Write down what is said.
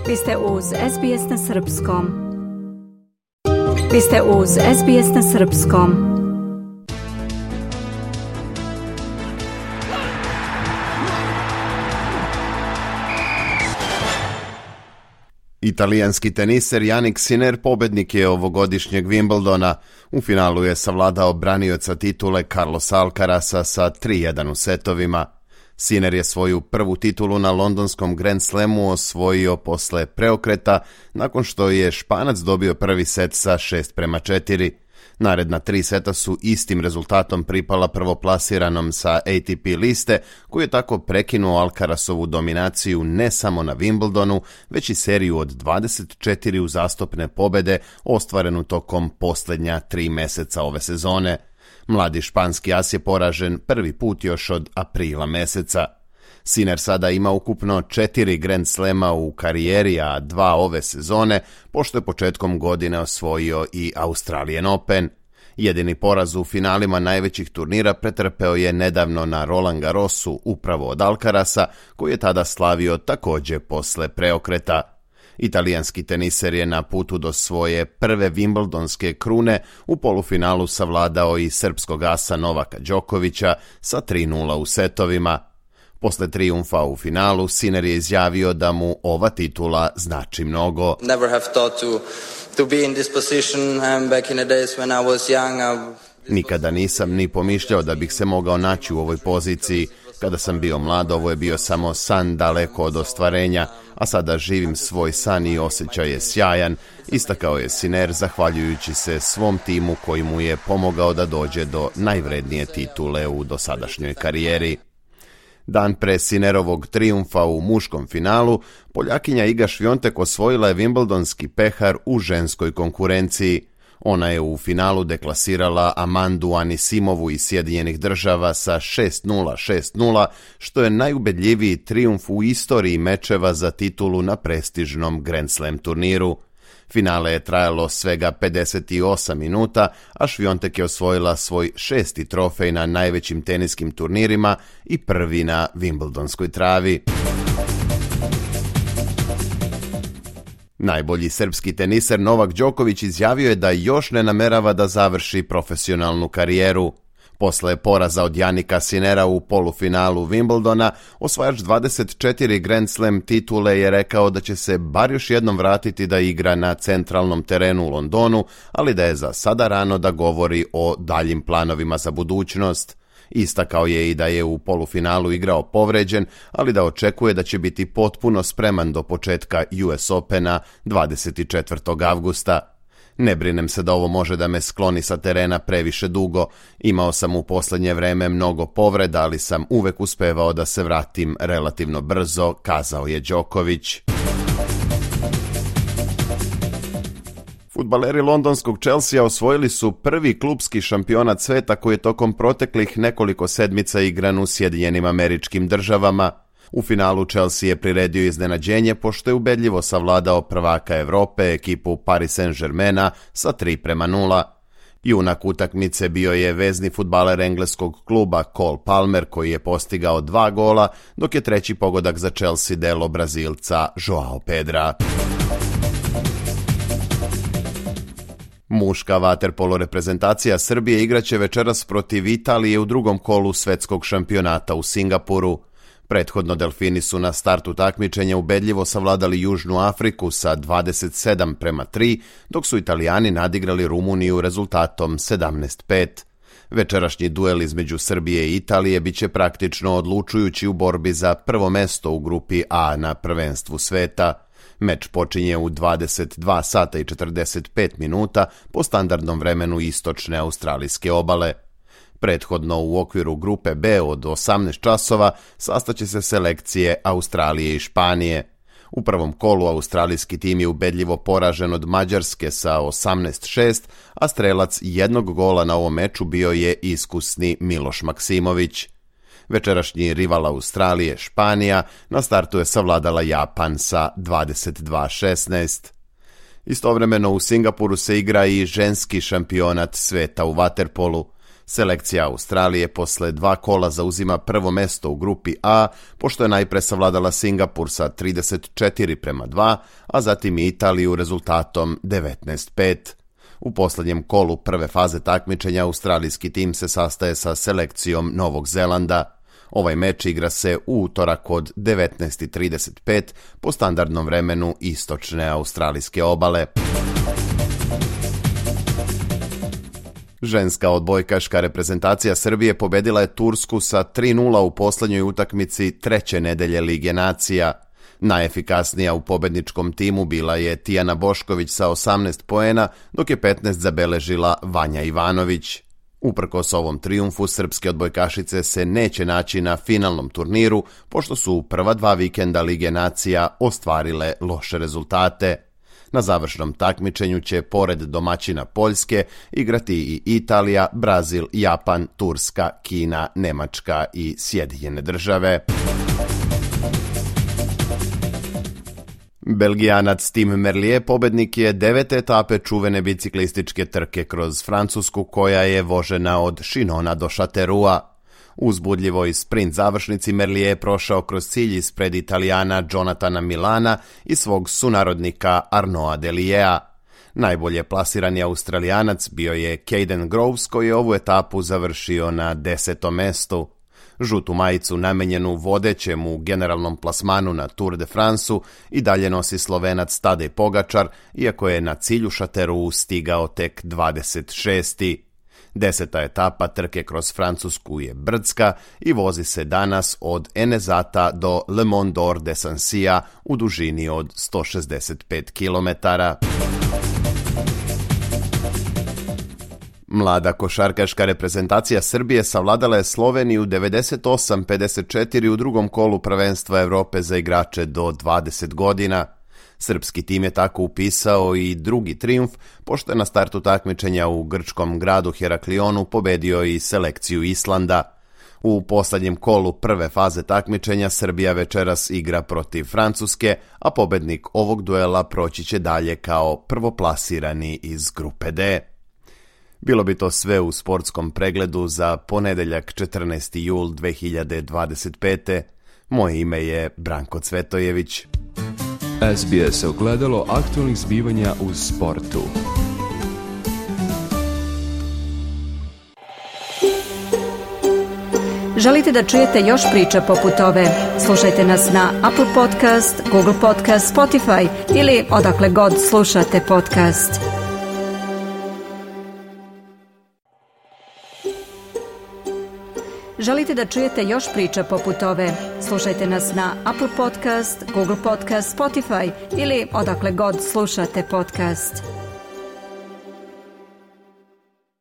Vi ste uz SBS na Srpskom. Vi ste uz SBS na Srpskom. Italijanski teniser Jannik Sinner pobednik je ovogodišnjeg Wimbledona. U finalu je savladao branioca titule Carlosa Alcarasa sa 3:1 u setovima. Sinner je svoju prvu titulu na londonskom Grand Slamu osvojio posle preokreta nakon što je Španac dobio prvi set sa 6:4. Naredna 3 seta su istim rezultatom pripala prvoplasiranom sa ATP liste, koji je tako prekinuo Alcarasovu dominaciju ne samo na Wimbledonu, već i seriju od 24 uzastopne pobede ostvarenu tokom posljednja 3 meseca ove sezone. Mladi španski as je poražen prvi put još od aprila meseca. Sinner sada ima ukupno 4 Grand Slema u karijeri, a 2 ove sezone, pošto je početkom godine osvojio i Australian Open. Jedini poraz u finalima najvećih turnira pretrpeo je nedavno na Roland Garrosu upravo od Alcarasa, koji je tada slavio također posle preokreta. Italijanski teniser je na putu do svoje prve Wimbledonske krune u polufinalu savladao i srpskog asa Novaka Đokovića sa 3:0 u setovima. Posle trijumfa u finalu, Sinner je izjavio da mu ova titula znači mnogo. Never have thought to be in this position back in the days when I was young. Nikada nisam ni pomišljao da bih se mogao naći u ovoj poziciji. Kada sam bio mlad, ovo je bio samo san daleko od ostvarenja, a sada živim svoj san i osjećaj je sjajan, istakao je Sinner zahvaljujući se svom timu koji mu je pomogao da dođe do najvrednije titule u dosadašnjoj karijeri. Dan pre Sinnerovog trijumfa u muškom finalu, Poljakinja Iga Swiatek osvojila je Wimbledonski pehar u ženskoj konkurenciji. Ona je u finalu deklasirala Amandu Anisimovu iz Sjedinjenih Država sa 6:0, 6:0, što je najubedljiviji trijumf u istoriji mečeva za titulu na prestižnom Grand Slam turniru. Finale je trajalo svega 58 minuta, a Swiatek je osvojila svoj 6. trofej na najvećim teniskim turnirima i prvi na Wimbledonskoj travi. Najbolji srpski teniser Novak Đoković izjavio je da još ne namerava da završi profesionalnu karijeru. Posle poraza od Jannika Sinnera u polufinalu Wimbledona, osvajač 24 Grand Slam titule je rekao da će se bar još jednom vratiti da igra na centralnom terenu u Londonu, ali da je za sada rano da govori o daljim planovima za budućnost. Istakao je i da je u polufinalu igrao povređen, ali da očekuje da će biti potpuno spreman do početka US Opena 24. avgusta. Ne brinem se da ovo može da me skloni sa terena previše dugo. Imao sam u posljednje vreme mnogo povreda, ali sam uvek uspevao da se vratim relativno brzo, kazao je Đoković. Fudbaleri londonskog Chelsea osvojili su prvi klupski šampionat sveta koji je tokom proteklih nekoliko sedmica igran u Sjedinjenim Američkim Državama. U finalu Chelsea je priredio iznenađenje pošto je ubedljivo savladao prvaka Evrope, ekipu Paris Saint-Germaina sa 3:0. Junak utakmice bio je vezni fudbaler engleskog kluba Cole Palmer koji je postigao 2 gola, dok je treći pogodak za Chelsea delo Brazilca Joao Pedra. Muška vaterpolo reprezentacija Srbije igraće večeras protiv Italije u drugom kolu svetskog šampionata u Singapuru. Prethodno Delfini su na startu takmičenja ubedljivo savladali Južnu Afriku sa 27:3, dok su Italijani nadigrali Rumuniju rezultatom 17:5. Večerašnji duel između Srbije i Italije biće praktično odlučujući u borbi za prvo mesto u grupi A na prvenstvu sveta. Meč počinje u 22 sata i 45 minuta po standardnom vremenu istočne australijske obale. Prethodno u okviru grupe B od 18 časova sastaće se selekcije Australije i Španije. U prvom kolu australijski tim je ubedljivo poražen od Mađarske sa 18:6, a strelac jednog gola na ovom meču bio je iskusni Miloš Maksimović. Večerašnji rival Australije, Španija, na startu je savladala Japan sa 22:16. Istovremeno u Singapuru se igra i ženski šampionat sveta u vaterpolu. Selekcija Australije posle 2 kola zauzima prvo mesto u grupi A, pošto je najpre savladala Singapur sa 34:2, a zatim i Italiju rezultatom 19:5. U poslednjem kolu prve faze takmičenja australijski tim se sastaje sa selekcijom Novog Zelanda. Ovaj meč igra se u utorak od 19:35 po standardnom vremenu istočne australijske obale. Ženska odbojkaška reprezentacija Srbije pobedila je Tursku sa 3:0 u poslednjoj utakmici treće nedelje Lige nacija. Najefikasnija u pobedničkom timu bila je Tijana Bošković sa 18 poena, dok je 15 zabeležila Vanja Ivanović. Uprkos ovom trijumfu, srpske odbojkašice se neće naći na finalnom turniru, pošto su u prva 2 vikenda Lige nacija ostvarile loše rezultate. Na završnom takmičenju će, pored domaćina Poljske, igrati i Italija, Brazil, Japan, Turska, Kina, Nemačka i Sjedinjene Države. Belgijanac Tim Merlier pobednik je 9. etape čuvene biciklističke trke kroz Francusku, koja je vožena od Chinona do Châteauroua. Uzbudljivoj sprint završnici Merlier je prošao kroz cilj ispred Italijana Jonathana Milana i svog sunarodnika Arnaуда Deliea. Najbolje plasirani Australijanac bio je Caden Groves, koji je ovu etapu završio na 10. mestu. Žutu majicu namenjenu vodećem u generalnom plasmanu na Tour de France-u i dalje nosi Slovenac Tadej Pogačar, iako je na cilju Châteauroux stigao tek 26. 10. etapa trke kroz Francusku je brdska i vozi se danas od Enezata do Le Mont d'Or de Sansia u dužini od 165 km. Mlada košarkaška reprezentacija Srbije savladala je Sloveniju 98:54 u drugom kolu prvenstva Evrope za igrače do 20 godina. Srpski tim je tako upisao i drugi trijumf, pošto je na startu takmičenja u grčkom gradu Heraklionu pobedio i selekciju Islanda. U poslednjem kolu prve faze takmičenja Srbija večeras igra protiv Francuske, a pobednik ovog duela proći će dalje kao prvoplasirani iz grupe D. Bilo bi to sve u sportskom pregledu za ponedeljak 14. jul 2025. Moje ime je Branko Cvetojević. SBS ogledalo aktualnih zbivanja u sportu. Želite da čujete još priča poput ove? Slušajte nas na Apple Podcast, Google Podcast, Spotify ili odakle god slušate podcast. Želite da čujete još priča poput ove? Slušajte nas na Apple Podcast, Google Podcast, Spotify ili odakle god slušate podcast.